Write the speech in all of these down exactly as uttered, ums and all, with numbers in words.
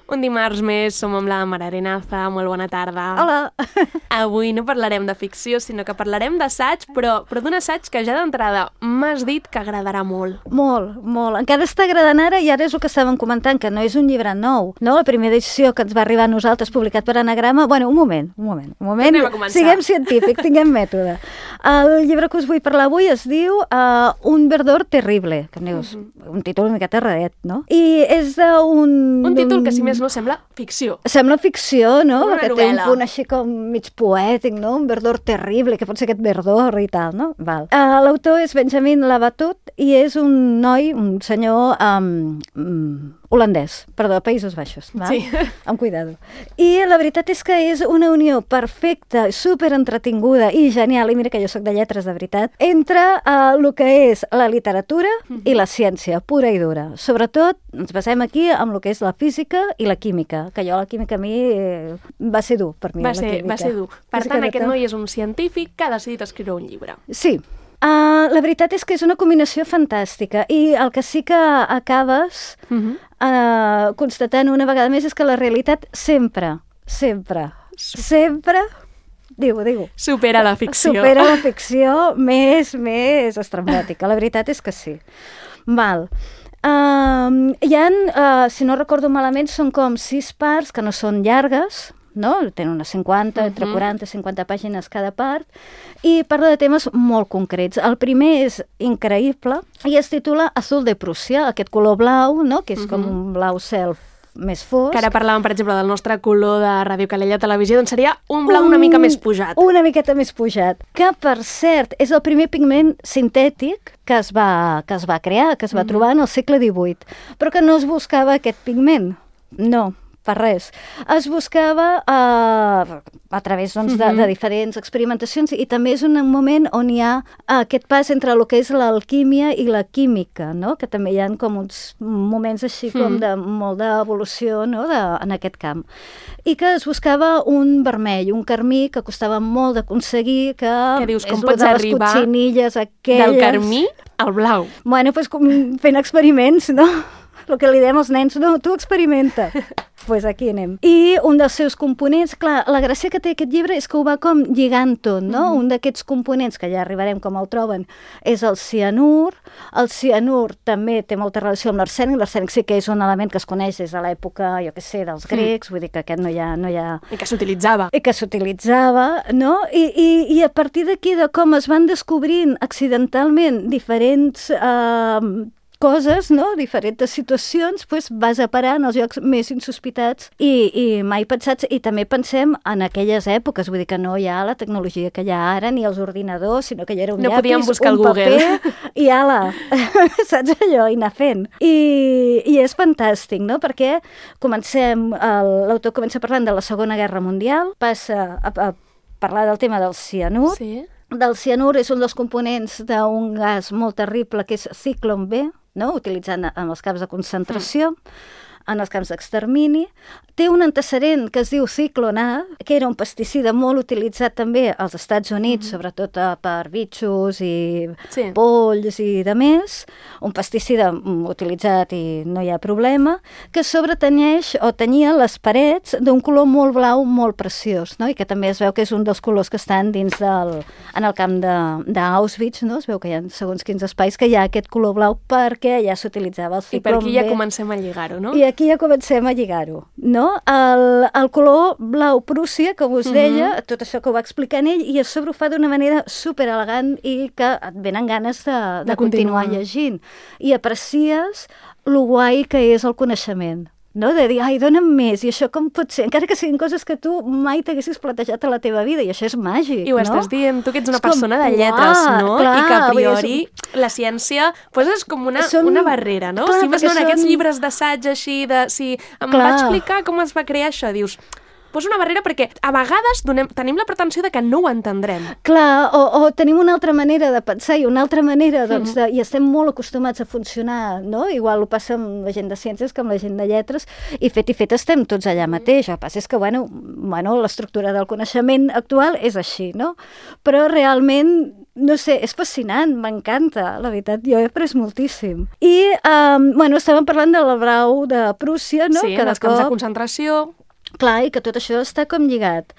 Un dimarts més som amb la Mara Arenaza, molt bona tarda. Hola! Avui no parlarem de ficció, sinó que parlarem d'assaig, però, però d'un assaig que ja d'entrada m'has dit que agradarà molt. Molt, molt. Encara està agradant ara i ara és el que estàvem comentant, que no és un llibre nou, no? La primera edició que ens va arribar a nosaltres, publicat per Anagrama... Bueno, un moment, un moment, un moment. Anem a començar. Siguem científics, tinguem mètode. El llibre que us vull parlar avui es diu uh, Un verdor terrible, que em dius, uh-huh. un títol una miqueta raret, no? I és d'un... Un títol que, si més no, sembla ficció. Sembla ficció, no? Una Perquè novel·la. té un punt així com mig poètic, no? Un verdor terrible, que pot ser aquest verdor i tal, no? Val. Uh, L'autor és Benjamin Labatut i és un noi, un senyor um, um, holandès, perdó, Països Baixos, val? Sí. Amb cuidado. I la veritat és que és una unió perfecta, super entretinguda i genial, i mira que jo soc de lletres, de veritat, entre uh, el que és la literatura uh-huh. i la ciència, pura i dura. Sobretot, ens basem aquí amb el que és la física i la química, que jo la química a mi eh, va ser dur per mi. Va la ser, química. va ser dur. Per És tant, que aquest no... noi és un científic que ha decidit escriure un llibre. Sí. Uh, la veritat és que és una combinació fantàstica i el que sí que acabes uh-huh. uh, constatant una vegada més és que la realitat sempre, sempre, sempre, diu, diu, supera la ficció. Supera la ficció més, més estrambòtica. La veritat és que sí. Val. Uh, hi ha, uh, si no recordo malament, són com sis parts que no són llargues, no? Tenen unes cinquanta, uh-huh. entre quaranta i cinquanta pàgines cada part, i parla de temes molt concrets. El primer és increïble i es titula Azul de Prússia, aquest color blau, no? Que és uh-huh. com un blau cel més fosc. Que ara parlàvem, per exemple, del nostre color de Ràdio Calella Televisió, doncs seria un blau un, una mica més pujat. Una miqueta més pujat. Que, per cert, és el primer pigment sintètic que es va, que es va crear, que es va uh-huh. trobar en el segle divuit, però que no es buscava aquest pigment. No, per res. Es buscava uh, a través doncs, de, de diferents experimentacions i també és un moment on hi ha uh, aquest pas entre el que és l'alquímia i la química, no? Que també hi ha com uns moments així com de molt d'evolució, no? de, en aquest camp. I que es buscava un vermell, un carmí que costava molt d'aconseguir, que, que dius, com és pots de les arribar cotxinilles aquelles... del carmí al blau? Bueno, doncs com fent experiments, no? El que li diem als nens, no, tu experimenta. Doncs pues aquí anem. I un dels seus components, clar, la gràcia que té aquest llibre és que ho va com lligant tot, no? Mm-hmm. Un d'aquests components, que ja arribarem com el troben, és el cianur. El cianur també té molta relació amb l'arsènic. L'arsènic sí que és un element que es coneix des de l'època, jo què sé, dels grecs, mm. vull dir que aquest no hi ha... No hi ha... I que s'utilitzava. I que s'utilitzava, no? I, i, i a partir d'aquí, de com es van descobrint accidentalment diferents... Eh, coses, no? Diferents situacions, pues, vas a parar en els llocs més insospitats i, i mai pensats, i també pensem en aquelles èpoques, vull dir que no hi ha la tecnologia que hi ha ara, ni els ordinadors, sinó que hi era un no llapis, buscar un Google. paper, i ala, saps allò? I anar fent. I, i és fantàstic, no? Perquè comencem, l'autor comença parlant de la Segona Guerra Mundial, passa a, a parlar del tema del cianur, sí. Del cianur és un dels components d'un gas molt terrible que és ciclon B, no? Utilitzant en els camps de concentració, mm. en els camps d'extermini. Té un antecedent que es diu ciclon A, que era un pesticida molt utilitzat també als Estats Units, mm. sobretot per bitxos i sí. polls i de més. Un pesticida utilitzat i no hi ha problema, que sobretanyeix o tenyia les parets d'un color molt blau, molt preciós, no? I que també es veu que és un dels colors que estan dins del... en el camp d'Auschwitz, no? Es veu que hi ha segons quins espais que hi ha aquest color blau perquè ja s'utilitzava el ciclon B. I per aquí ja comencem a lligar-ho, no? I aquí ja comencem a lligar-ho, no? El, el color blau Prússia, com us deia, mm-hmm. tot això que ho va explicant ell, i a sobre ho fa d'una manera super elegant i que et venen ganes de, de, de continuar. continuar llegint. I aprecies lo guai que és el coneixement, no? De dir, ai, dona'm més, i això com pot ser? Encara que siguin coses que tu mai t'haguessis plantejat a la teva vida, i això és màgic, no? I ho estàs dient, tu que ets una és persona com, de lletres, uah, no? clar, I que a priori és... la ciència pues, és com una, són... una barrera, no? Clar, si més no, en són... aquests llibres d'assaig així, de... si em clar. va explicar com es va crear això, dius... posa una barrera perquè a vegades donem, tenim la pretensió de que no ho entendrem. Clar, o, o tenim una altra manera de pensar i una altra manera, doncs, de, i estem molt acostumats a funcionar, no? Igual ho passa amb la gent de ciències que amb la gent de lletres, i fet i fet estem tots allà mateix. El que passa és que, bueno, bueno l'estructura del coneixement actual és així, no? Però realment, no sé, és fascinant, m'encanta, la veritat, jo he après moltíssim. I, um, bueno, estàvem parlant de la Blau de Prússia, no? Sí, que dels camps de concentració. Clar, i que tot això està com lligat.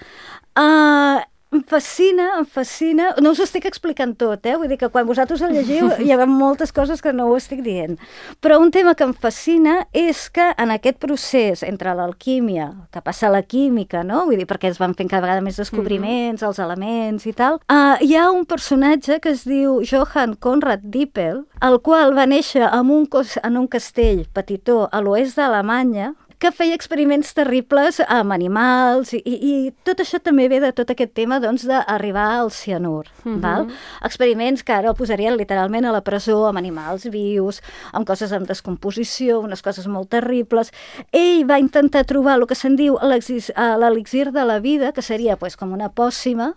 Uh, em fascina, em fascina... No us ho estic explicant tot, eh? Vull dir que quan vosaltres el llegiu hi ha moltes coses que no ho estic dient. Però un tema que em fascina és que en aquest procés entre l'alquímia, que passa a la química, no? Vull dir, perquè es van fent cada vegada més descobriments, mm-hmm. els elements i tal, uh, hi ha un personatge que es diu Johann Conrad Dippel, el qual va néixer en un, cos, en un castell petitó a l'oest d'Alemanya, que feia experiments terribles amb animals, i, i tot això també ve de tot aquest tema doncs, d'arribar al cianur. Mm-hmm. Val? Experiments que ara el posarien literalment a la presó amb animals vius, amb coses en descomposició, unes coses molt terribles. Ell va intentar trobar el que se'n diu l'elixir de la vida, que seria pues, com una pòssima,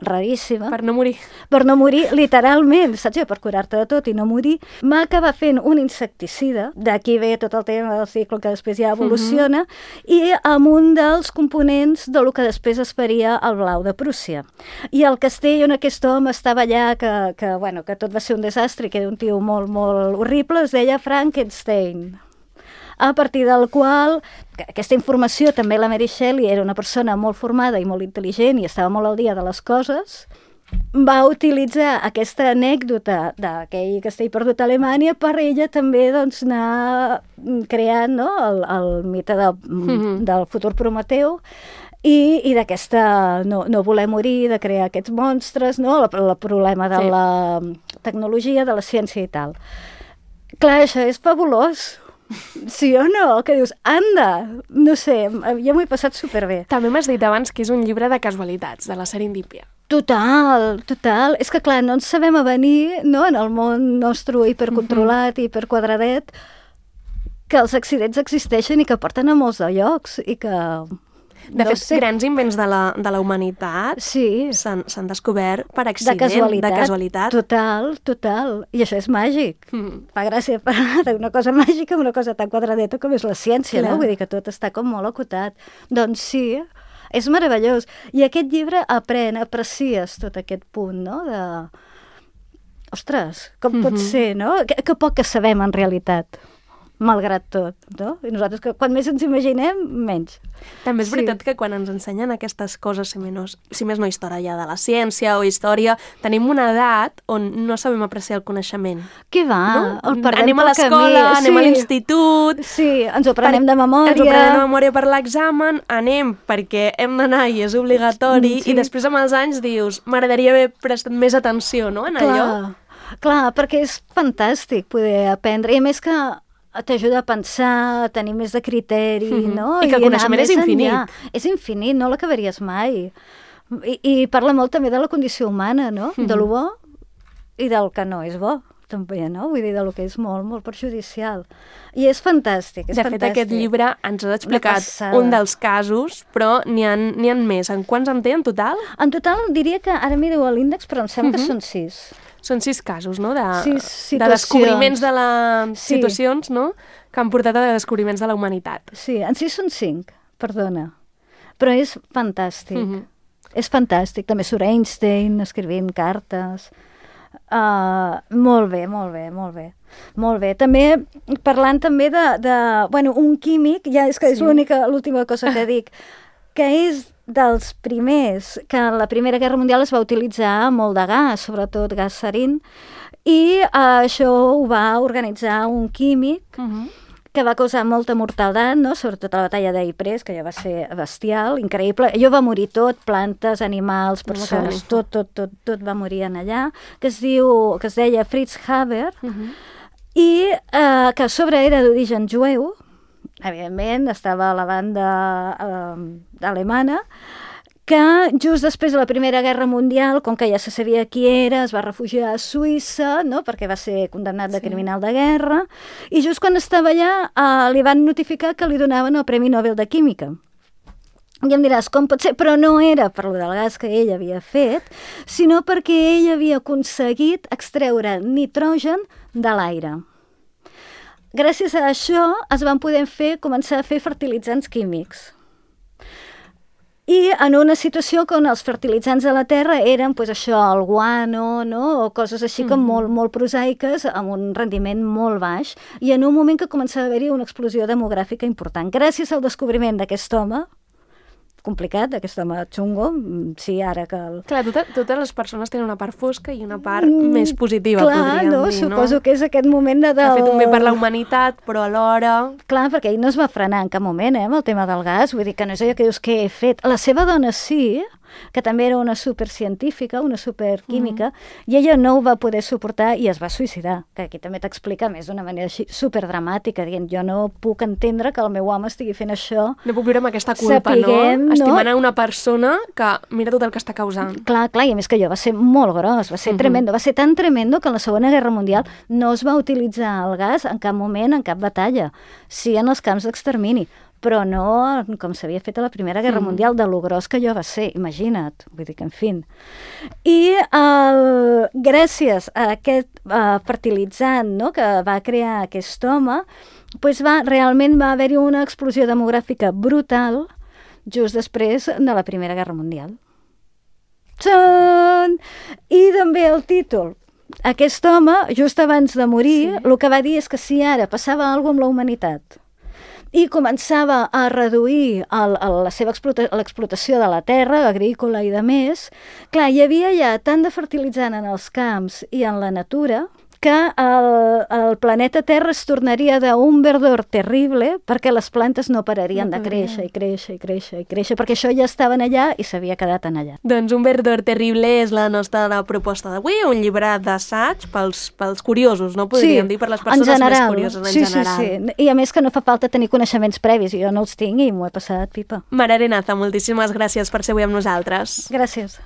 raríssima. Per no morir. Per no morir, literalment, saps? Per curar-te de tot i no morir. Va acabar fent un insecticida, d'aquí ve tot el tema del cicle que després ja evoluciona, uh-huh. i amb un dels components del que després es faria el Blau de Prússia. I el castell on aquest home estava allà, que, que, bueno, que tot va ser un desastre, que era un tio molt, molt horrible, es deia Frankenstein. A partir del qual, aquesta informació, també la Mary Shelley era una persona molt formada i molt intel·ligent i estava molt al dia de les coses, va utilitzar aquesta anècdota d'aquell castell perdut a Alemanya per ella també doncs, anar creant no? el, el mite de, mm-hmm. del futur Prometeu i, i d'aquesta no, no voler morir, de crear aquests monstres, no? el, el problema de sí. la tecnologia, de la ciència i tal. Clar, això és fabulós. Sí o no? Que dius, anda, no sé, jo m'ho he passat superbé. També m'has dit abans que és un llibre de casualitats, de la serendípia. Total, total. És que clar, no ens sabem avenir no, en el món nostre hipercontrolat i hiperquadradet que els accidents existeixen i que porten a molts de llocs i que... De no fet, sé. grans invents de la, de la humanitat sí. s'han descobert per accident, de casualitat. de casualitat. Total, total. I això és màgic. Mm. Fa gràcia parlar d'una cosa màgica amb una cosa tan quadradeta com és la ciència, Clar. no? Vull dir que tot està com molt acotat. Doncs sí, és meravellós. I aquest llibre aprèn, aprecies tot aquest punt, no?, de... Ostres, com mm-hmm. pot ser, no? Que, que poc que sabem en realitat. Malgrat tot, no? I nosaltres, que quan més ens imaginem, menys. També és veritat sí. que quan ens ensenyen aquestes coses, si, menys, si més no història de la ciència o història, tenim una edat on no sabem apreciar el coneixement. Què va? No? El perdem anem a l'escola, sí. anem a l'institut... Sí, ens ho prenem de memòria... Ens ho prenem de memòria per l'examen, anem perquè hem d'anar i és obligatori, sí. i després amb els anys dius, m'agradaria haver prestat més atenció, no?, en Clar. allò. Clar, perquè és fantàstic poder aprendre, i a més que t'ajuda a pensar, a tenir més de criteri, mm-hmm. no? I que el I coneixement és infinit. Enllà. És infinit, no l'acabaries mai. I, I parla molt també de la condició humana, no? Mm-hmm. De lo bo i del que no és bo, també, no? Vull dir, de lo que és molt, molt perjudicial. I és fantàstic, és de fantàstic. fet, aquest llibre ens ha explicat un dels casos, però n'hi ha, n'hi ha més. En quants en té, en total? En total, diria que, ara miro l'índex, però em sembla mm-hmm. que són sis. Són sis casos, no?, de, sis de descobriments de les sí. situacions, no?, que han portat a descobriments de la humanitat. Sí, en sis són cinc, perdona. Però és fantàstic. Mm-hmm. És fantàstic. També surt Einstein escrivint cartes. Uh, molt bé, molt bé, molt bé. Molt bé. També, parlant també de, de bueno, un químic, ja és que és sí. l'única, l'última cosa que dic, que és dels primers, que en la Primera Guerra Mundial es va utilitzar molt de gas, sobretot gas sarin, i uh, això ho va organitzar un químic uh-huh. que va causar molta mortaldat, no? Sobretot a la batalla d'Ypres, que ja va ser bestial, increïble. Allò va morir tot, plantes, animals, persones, no tot, tot, tot, tot va morir en allà, que es diu, que es deia Fritz Haber, uh-huh. i uh, que a sobre era d'origen jueu, evidentment, estava a la banda eh, alemana, que just després de la Primera Guerra Mundial, com que ja se sabia qui era, es va refugiar a Suïssa, no?, perquè va ser condemnat de sí. criminal de guerra, i just quan estava allà eh, li van notificar que li donaven el Premi Nobel de Química. I em diràs, com pot ser? Però no era per lo del gas que ell havia fet, sinó perquè ell havia aconseguit extreure nitrogen de l'aire. Gràcies a això es van poder fer, començar a fer fertilitzants químics. I en una situació on els fertilitzants a la Terra eren pues, això, el guano, no? O coses així com mm-hmm. molt, molt prosaiques, amb un rendiment molt baix, i en un moment que començava a haver-hi una explosió demogràfica important. Gràcies al descobriment d'aquest home, complicat, aquest home xungo, sí, ara que... El... Clar, tota, totes les persones tenen una part fosca i una part mm, més positiva, clar, podríem no? dir, no? Suposo que és aquest moment de... Del... Ha fet un bé per la humanitat, però alhora... Clar, perquè ell no es va frenar en cap moment, eh, amb el tema del gas, vull dir que no és allò que dius que he fet. La seva dona sí, que també era una supercientífica, una superquímica, mm. i ella no ho va poder suportar i es va suïcidar, que aquí també t'explica més d'una manera així superdramàtica, dient, jo no puc entendre que el meu home estigui fent això. No puc viure amb aquesta culpa, sapiguem, no? Estimant no? a una persona que mira tot el que està causant. Clar, clar, i a més que allò va ser molt gros, va ser mm-hmm. tremendo, va ser tan tremendo que en la Segona Guerra Mundial no es va utilitzar el gas en cap moment, en cap batalla, sí en els camps d'extermini, però no com s'havia fet a la Primera Guerra mm. Mundial, de lo gros que allò va ser, imagina't, vull dir que, en fi. I el, gràcies a aquest uh, fertilitzant, no?, que va crear aquest home, pues va, realment va haver-hi una explosió demogràfica brutal just després de la Primera Guerra Mundial. Txan! I també el títol. Aquest home, just abans de morir, sí. el que va dir és que si ara passava alguna cosa amb la humanitat i començava a reduir el, el, la seva explota, l'explotació de la terra, agrícola i de més, clar, hi havia ja tant de fertilitzant en els camps i en la natura que el, el planeta Terra es tornaria d'un verdor terrible perquè les plantes no pararien no de créixer i créixer i créixer i créixer, perquè això ja estaven allà i s'havia quedat en allà. Doncs Un verdor terrible és la nostra proposta d'avui, un llibre d'assaig pels, pels curiosos, no podríem sí, dir, per les persones general, més curioses en sí, general. Sí, sí, i a més que no fa falta tenir coneixements previs, jo no els tinc i m'ho he passat pipa. Mare Arenaza, moltíssimes gràcies per ser avui amb nosaltres. Gràcies.